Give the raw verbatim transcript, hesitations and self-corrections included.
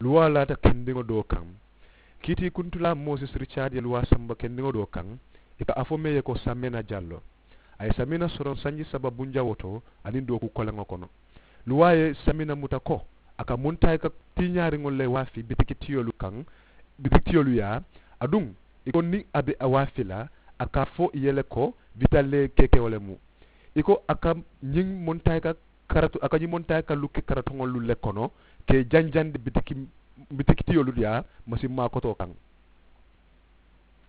Luwaa laata kendiŋo doo kaŋ. Kiitiikuntulaa moosis ricaad ye luwaa samba kendiŋo doo kaŋ. I ka a fo mee ye ko samina jallo. A ye samina soroŋ sanji saba bunjawoo to aniŋ dooku koleŋo kono. Luwaa ye samina muta ko a ka muntaayika tiiñaariŋolu le waafi bitikitiyolu kaŋ. Bitikitiyolu yaa aduŋ i ko niŋ a be a waafi la a ka a fo i ye le ko bitalee kekewo le mu. I ko a ka ñiŋ muntaayika karatu a ka ñiŋ muntaayika lukke karatuŋolu le kono ka i janjandi bitikitiyolu yaa masiŋ maakotoo kaŋ.